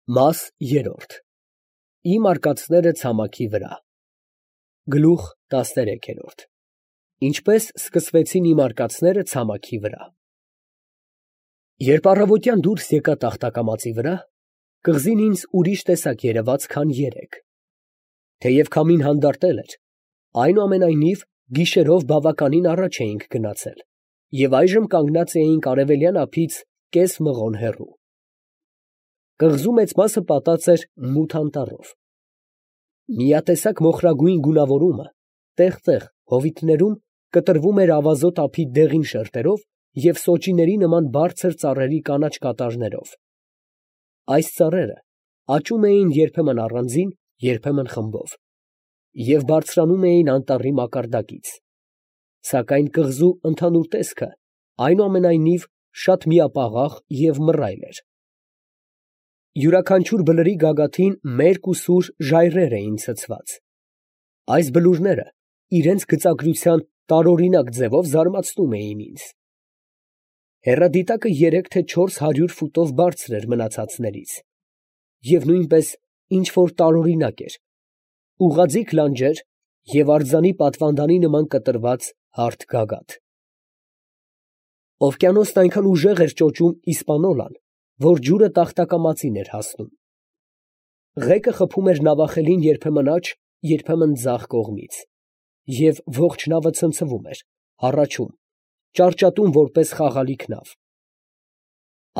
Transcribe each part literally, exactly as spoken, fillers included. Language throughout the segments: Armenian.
Մաս երրորդ Իմ արկածները ցամաքի վրա Գլուխ տասներեքերորդ Ինչպես սկսվեցին իմ արկածները ցամաքի վրա Երբ առավոտյան դուրս եկա տախտակամածի վրա, կղզին ինձ ուրիշ տեսակ երևաց, քան երեկ. թեև քամին հանդարտել էր, այնուամենայնիվ գիշերով բավականին առաջ էինք գնացել և այժմ կանգնած էինք արևելյան ափից կես մղոն հեռու. կղզու մեծ մասը պատած էր մութ անտառով. միատեսակ մոխրագույն գունավորումը տեղ֊տեղ հովիտներում կտրվում էր ավազոտ ափի դեղին շերտերով և սոճիների նման բարձր ծառերի կանաչ կատարներով. այս ծառերը աճում էին երբեմն առանձին, երբեմն խմբով և բարձրանում էին անտառի մակարդակից, սակայն կղզու ընդհանուր տեսքը այնուամենայնիվ շատ միապաղաղ և մռայլ էր. յուրաքանչյուր բլրի գագաթին մերկ ու սուր ժայռեր էին ցցված. այս բլուրները իրենց գծագրության տարօրինակ ձևով զարմացնում էին ինձ. հեռադիտակը երեք թե չորս հարյուր ֆուտով բարձր էր մնացածներից և նույնպես ինչ֊որ տարօրինակ էր, ուղղաձիգ լանջեր և արձանի պատվանդանի նման կտրված հարթ գագաթ. Օվկիանոսն այնքան ուժեղ էր ճոճում Իսպանոլան, որ ջուրը տախտակամածին էր հասնում. ղեկը խփում էր նավախելին երբեմն աջ, երբեմն ձախ կողմից, և ողջ նավը ցնցվում էր, հառաչում, ճարճատում որպես խաղալիք նավ.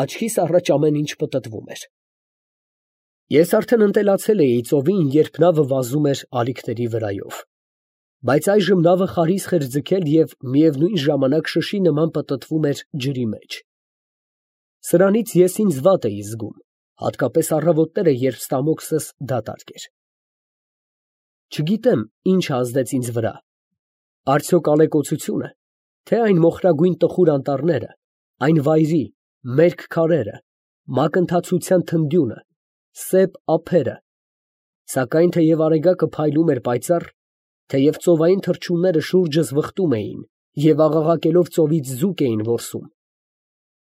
աչքիս առաջ ամեն ինչ պտտվում էր. ես արդեն ընտելացել էի ծովին, երբ նավը վազում էր ալիքների վրայով, բայց այժմ նավը խարիսխ էր ձգել և միևնույն ժամանակ շշի նման պտտվում էր ջրի մեջ. սրանից ես ինձ վատ էի զգում, հատկապես առավոտները, երբ ստամոքսս դատարկ էր. չգիտեմ, ինչը ազդեց ինձ վրա, արդյոք ալեկոծությունը, թե այն մոխրագույն տխուր անտառները, այն վայրի, մերկ քարերը, մակընթացության թնդյունը, սեպ ափերը, սակայն թեև արեգակը փայլում էր պայծառ, թեև ծովային թռչունները շուրջս վխտում էին և աղաղակելով ծովից ձուկ էին որսում,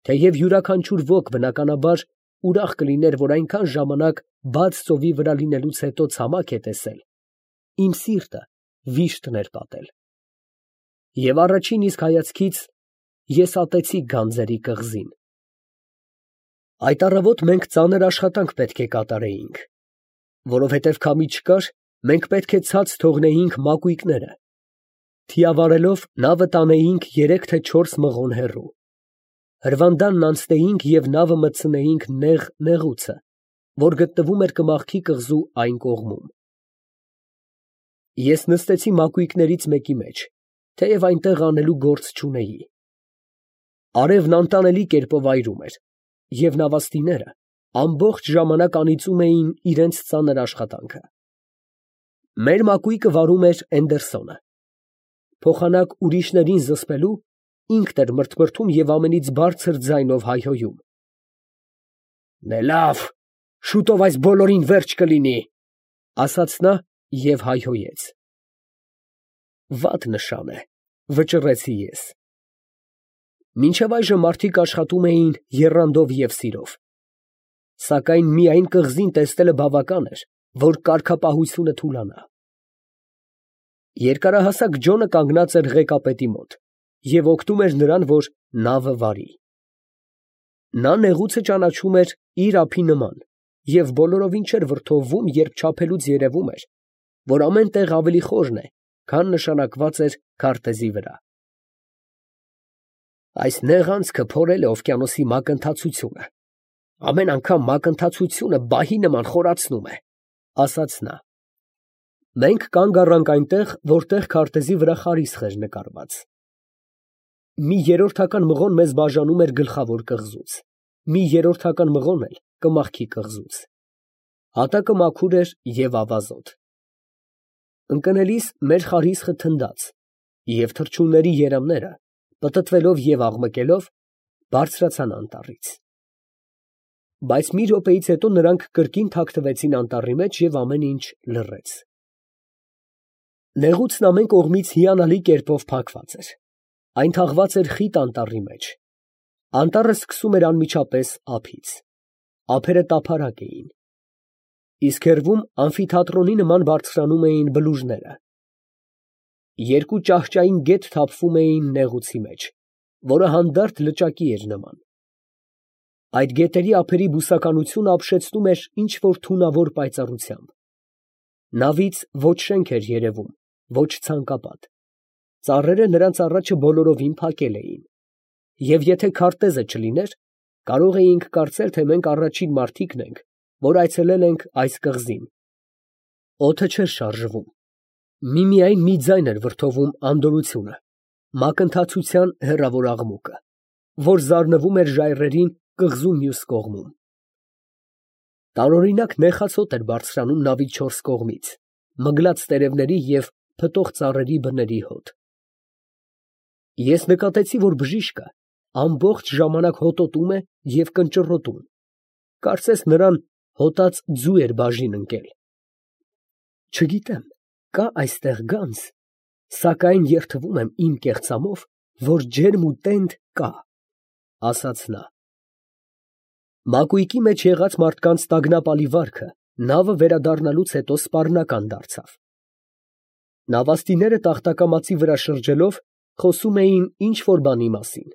թեև յուրաքանչյուր ոք բնականաբար ուրախ կլիներ, որ այնքան ժամանակ բաց ծովի վրա լինելուց հետո ցամաք է տեսել, իմ սիրտը վիշտն էր պատել, և առաջին իսկ հայացքից ես ատեցի գանձերի կղզին. այդ առավոտ մենք ծանր աշխատանք պետք է կատարեինք, որովհետև քամի չկար, մենք պետք է ցած թողնեինք մակույկները, թիավարելով նավը տանեինք երեք թե չորս մղոն հեռու, հրվանդանն անցնեինք և նավը մտցնեինք նեղ նեղուցը, որ գտնվում էր Կմախքի կղզու այն կողմում. ես նստեցի մակույկներից մեկի մեջ, թեև այնտեղ անելու գործ չունեի. արևն անտանելի կերպով այրում էր, և նավաստիները ամբողջ ժամանակ անիծում էին իրանց ծանր աշխատանքը. մեր մակույկը վարում էր Էնդերսոնը. փոխանակ ուրիշներին զսպելու, ինքն էր մրթմրթում և ամենից բարձր ձայնով հայհոյում. «Դե լավ, շուտով այս բոլորին վերջ կլինի», ֊ ասաց նա և հայհոյեց. «Վատ նշան է», ֊ վճռեցի ես. մինչև այժմ մարդիկ աշխատում էին եռանդով և սիրով, սակայն միայն կղզին տեսնելը բավական էր, որ կարգապահությունը թուլանա. երկարահասակ Ջոնը կանգնած էր ղեկապետի մոտ և օգնում էր նրան, որ նավը վարի. նա նեղուցը ճանաչում էր իր ափի նման և բոլորովին չէր վրդովվում, երբ չափելուց երևում էր, որ ամեն տեղ ավելի խորն է, քան նշանակված էր քարտեզի վրա. այս նեղ անցքը փորել է օվկիանոսի մակընթացությունը, ամեն անգամ մակընթացությունը բահի նման խորացնում է, ֊ ասաց նա. մենք կանգ առանք այնտեղ, որտեղ քարտեզի վրա խարիսխ էր նկարված. մի երրորդական մղոն մեզ բաժանում էր գլխավոր կղզուց, մի երրորդական մղոն էլ Կմախքի կղզուց. հատակը մաքուր էր և ավազոտ. ընկնելիս մեր խարիսխը թնդաց, և թռչունների երամները, պտտվելով և աղմկելով, բարձրացան անտառից. բայց մի րոպեից հետո նրանք կրկին թաքնվեցին անտառի մեջ և ամեն ինչ լռեց. նեղուցն ամեն կողմից հիանալի կերպով փակված էր, այն թաղված էր խիտ անտառի մեջ, անտառը սկսում էր անմիջապես ափից, ափերը տափարակ էին, իսկ հեռվում ամֆիթատրոնի նման բարձրանում էին բլուրները։ Երկու ճահճային գետ թափվում էին նեղուցի մեջ, որը հանդարտ լճակի էր նման։ Այդ գետերի ափերի բուսականությունը ապշեցնում էր ինչ֊որ թունավոր պայծառությամբ։ Նավից ոչ շենք էր երևում, ոչ ցանկապատ, ծառերը նրանց առաջը բոլորովին փակել էին, և եթե քարտեզը չլիներ, կարող էինք կարծել, թե մենք առաջին մարդիկն ենք, որ այցելել ենք այս կղզին։ Օդը չէր շարժվում, միմիայն մի ձայն էր վրդովում անդորրությունը, մակընթացության հեռավոր աղմուկը, որ զարնվում էր ժայռերին կղզու մյուս կողմում։ Տարօրինակ նեխած հոտ էր բարձրանում նավի չորս կողմից, մգլած տերևների և փտող ծառերի բների հոտ։ Ես նկատեցի, որ բժիշկը ամբողջ ժամանակ հոտոտում է և կնճռոտում, կարծես նրան հոտած ձու էր բաժին ընկել։ Չգիտեմ, կա այստեղ գանձ, սակայն երդվում եմ իմ կեղծամով, որ ջերմ ու տենդ կա, ֊ ասաց նա։ Մակույկի մեջ եղած մարդկանց տագնապալի վարքը նավը վերադառնալուց հետո սպառնական դարձավ։ Նավաստիները տախտակամածի վրա շրջելով, խոսում էին ինչ֊որ բանի մասին։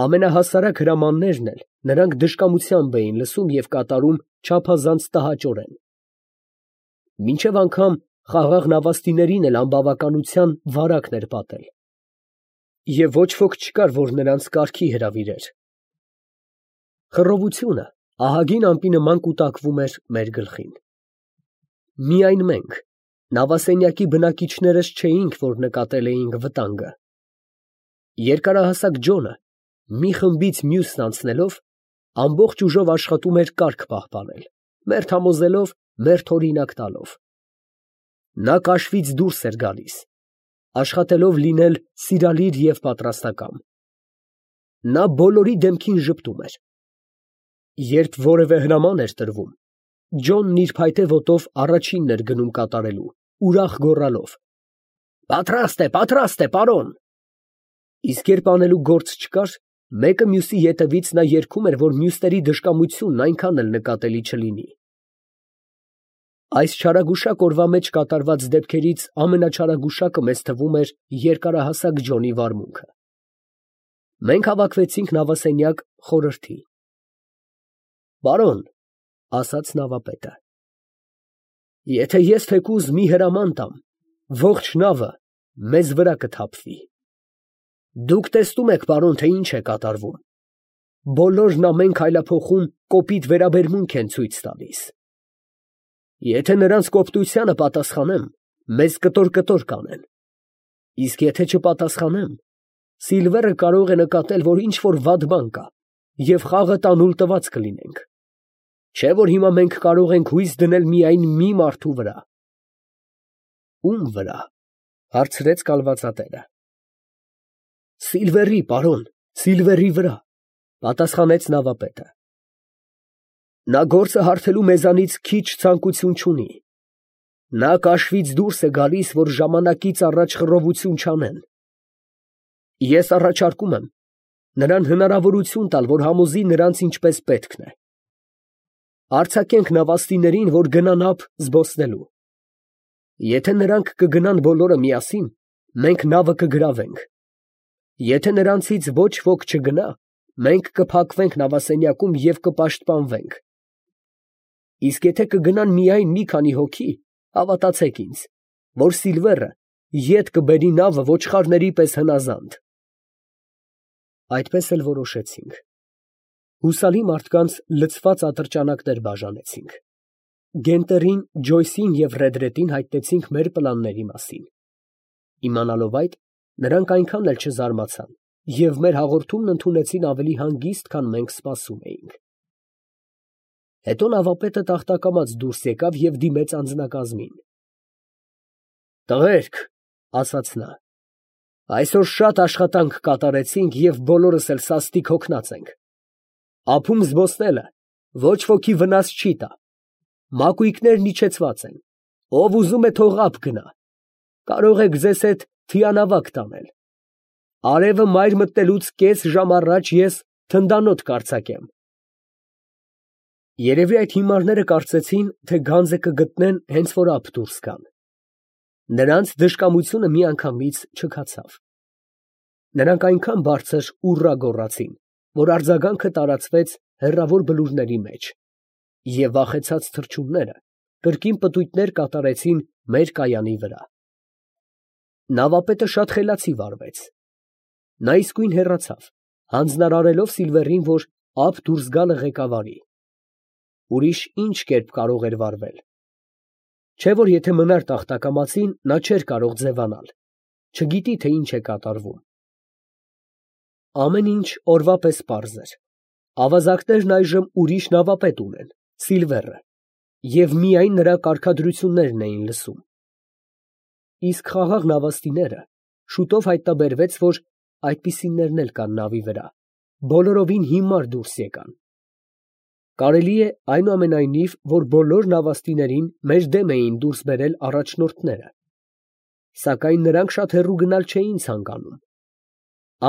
Ամենահասարակ հրամաններն էլ նրանք դժկամությամբ էին լսում և կատարում չափազանց տհաճորեն։ Մինչև անգամ խաղաղ նավաստիներին էլ անբավականության վարակն էր պատել, և ոչ ոք չկար, որ նրանց կարգի հրավիրեր։ Խռովությունը ահագին ամպի նման կուտակվում էր մեր գլխին։ Միայն մենք, նավասենյակի բնակիչներս չէինք, որ նկատել էինք վտանգը։ Երկարահասակ Ջոնը, մի խմբից մյուսն անցնելով, ամբողջ ուժով աշխատում էր կարգ պահպանել, մերթ համոզելով, մերթ օրինակ տալով։ Նա կաշվից դուրս էր գալիս, աշխատելով լինել սիրալիր և պատրաստակամ։ Նա բոլորի դեմքին ժպտում էր։ Երբ որևէ հրաման էր տրվում, Ջոնն իր փայտե ոտով առաջինն էր գնում կատարելու, ուրախ գոռալով. «Պատրաստ է, պատրաստ է, պարոն»։ Իսկ երբ անելու գործ չկար, մեկը մյուսի ետևից նա երգում էր, որ մյուսների դժկամությունն այնքան էլ նկատելի չլինի։ Այս չարագուշակ օրվա մեջ կատարված դեպքերից ամենաչարագուշակը մեզ թվում էր երկարահասակ Ջոնի վարմունքը։ Մենք հավաքվեցինք նավասենյակ խորհրդի։ «Պարոն, ֊ ասաց նավապետը, ֊ եթե ես թեկուզ մի հրաման տամ, ողջ նավը մեզ վրա կթափվի։ Դուք տեսնում եք, պարոն, թե ինչ է կատարվում. բոլորն ամեն քայլափոխում կոպիտ վերաբերմունք են ցույց տալիս։ Եթե նրանց կոպտությանը պատասխանեմ, մեզ կտոր֊կտոր կանեն, իսկ եթե չպատասխանեմ, Սիլվերը կարող է նկատել, որ ինչ֊որ վատ բան կա, և խաղը տանուլ տված կլինենք, չէ՞ որ հիմա մենք կարող ենք հույս դնել միայն մի մարդու վրա։ ֊ Ո՞ւմ վրա, ֊ հարցրեց կալվածատերը։ ֊ Սիլվերի, պարոն, Սիլվերի վրա, ֊ պատասխանեց նավապետը։ Նա գործը հարթելու մեզանից քիչ ցանկություն չունի։ Նա կաշվից դուրս է գալիս, որ ժամանակից առաջ խռովություն չանեն։ Ես առաջարկում եմ նրան հնարավորություն տալ, որ համոզի նրանց ինչպես պետքն է։ Արձակենք նավաստիներին, որ գնան ափ զբոսնելու։ Եթե նրանք կգնան բոլորը միասին, մենք նավը կգրավենք։ Եթե նրանցից ոչ ոք չգնա, մենք կփակվենք նավասենյակում և կպաշտպանվենք։ Իսկ եթե կգնան միայն մի քանի հոգի, հավատացեք ինձ, որ Սիլվերը ետ կբերի նավը ոչխարների պես հնազանդ։ Այդպես էլ որոշեցինք։ Հուսալի մարդկանց լցված ատրճանակներ բաժանեցինք։ Գենտերին, Ջոյսին և Ռեդրետին հայտնեցինք մեր պլանների մասին։ Իմանալով այդ, նրանք այնքան էլ չզարմացան և մեր հաղորդումն ընդունեցին ավելի հանգիստ, քան մենք սպասում էինք։ Հետո նավապետը տախտակամած դուրս եկավ և դիմեց անձնակազմին։ «Տղերք, ֊ ասաց նա, ֊ այսօր շատ աշխատանք կատարեցինք և բոլորս էլ սաստիկ հոգնած ենք։ Ափում զբոսնելը ոչ ոքի վնաս չի տա։ Մակույկներն իջեցված են, ով ուզում է թող ափ գնա, կարող եք ձեզ հետ թիանավակ տանել։ Արևը մայր մտնելուց կես ժամ առաջ ես թնդանոթ կարձակեմ։ Երևի այդ հիմարները կարծեցին, թե գանձը կգտնեն հենց որ ափ դուրս գան. նրանց դժկամությունը միանգամից չքացավ. նրանք այնքան բարձր ուռա գոռացին, որ արձագանքը տարածվեց հեռավոր բլուրների մեջ, և վախեցած թռչունները կրկին պտույտներ կատարեցին մեր կայանի վրա։ Նավապետը շատ խելացի վարվեց. նա իսկույն հեռացավ, հանձնարարելով Սիլվերին, որ ափ դուրս գալը ղեկավարի։ Ուրիշ ինչ կերպ կարող էր վարվել։ Չէ՞ որ եթե մնար տախտակամածին, նա չէր կարող ձևանալ, չգիտի, թե ինչ է կատարվում։ Ամեն ինչ օրվա պես պարզ էր. ավազակներն այժմ ուրիշ նավապետ ունեն, Սիլվերը, և միայն նրա կարգադրություններն էին լսում։ Իսկ խաղաղ նավաստիները շուտով հայտնաբերվեց, որ այդպիսիներն էլ կան նավի վրա, բոլորովին հիմար դուրս եկան։ Կարելի է այնուամենայնիվ, որ բոլոր նավաստիներին մեր դեմ էին դուրս բերել առաջնորդները, սակայն նրանք շատ հեռու գնալ չէին ցանկանում։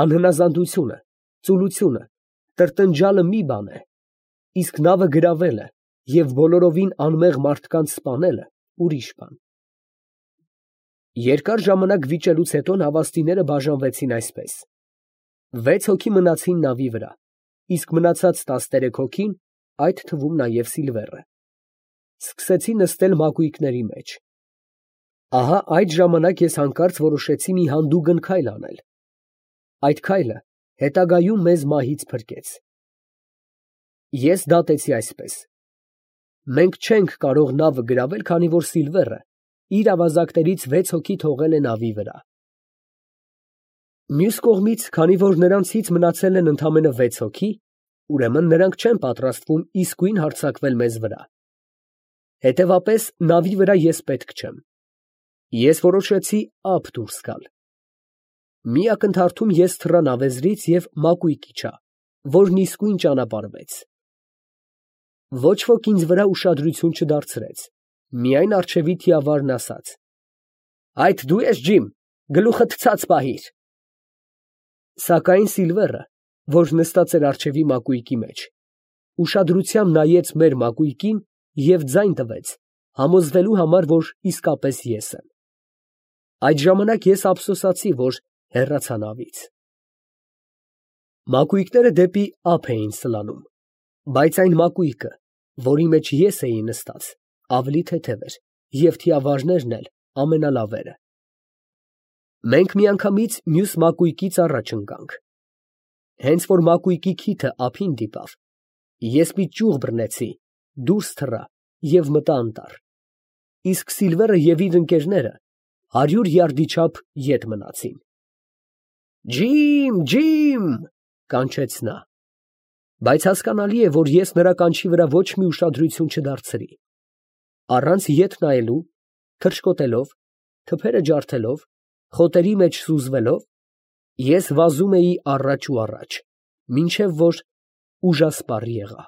Անհնազանդությունը, ծուլությունը, տրտնջալը մի բան է, իսկ նավը գրավելը և բոլորովին անմեղ մարդկանց սպանելը ուրիշ բան։ Երկար ժամանակ վիճելուց հետո նավաստիները բաժանվեցին այսպես. վեց հոգի մնացին նավի վրա, իսկ մնացած տասներեք հոգին, այդ թվում նաև Սիլվերը, սկսեցին նստել մակույկների մեջ։ Ահա այդ ժամանակ ես հանկարծ որոշեցի մի հանդուգն քայլ անել։ Այդ քայլը հետագայում մեզ մահից փրկեց։ Ես դատեցի այսպես. մենք չենք կարող նավը գրավել, քանի որ Սիլվերը իր ավազակներից վեց հոգի թողել է նավի վրա։ Մյուս կողմից, քանի որ նրանցից մնացել են ընդամենը վեց հոգի, ուրեմն նրանք չեն պատրաստվում իսկույն հարձակվել մեզ վրա։ Հետևապես նավի վրա ես պետք չեմ։ Ես որոշեցի ափ դուրս գալ։ Մի ակնթարթում ես թռա նավեզրից և մակույկ իջա, որն իսկույն ճանապարհվեց։ Ոչ ոք ինձ վրա ուշադրություն չդարձրեց, միայն առջևի թիավարն ասաց. «Այդ դու ես, Ջիմ, գլուխդ ցած պահիր»։ Սակայն Սիլվերը, որ նստած էր առջևի մակույկի մեջ, ուշադրությամբ նայեց մեր մակույկին և ձայն տվեց, համոզվելու համար, որ իսկապես ես եմ։ Այդ ժամանակ ես ափսոսացի, որ հեռացա նավից։ Մակույկները դեպի ափ էին սլանում, բայց այն մակույկը, որի մեջ ես էի նստած, ավելի թեթև էր, և թիավարներն էլ ամենալավերը։ Մենք միանգամից մյուս մակույկից առաջ ընկանք։ Հենց որ մակույկի քիթը ափին դիպավ, ես մի ճյուղ բռնեցի, դուրս թռա և մտա անտառ, իսկ Սիլվերը և իր ընկերները հարյուր յարդի չափ ետ մնացին։ «Ջիմ, Ջիմ» կանչեց նա, բայց հասկանալի է, որ ես նրա կանչի վրա ոչ մի ուշադրություն չդարձրի։ Առանց ետ նայելու, թռչկոտելով, թփերը ջարդելով, խոտերի մեջ սուզվելով, ես վազում էի առաջ ու առաջ, մինչև որ ուժասպառ եղա։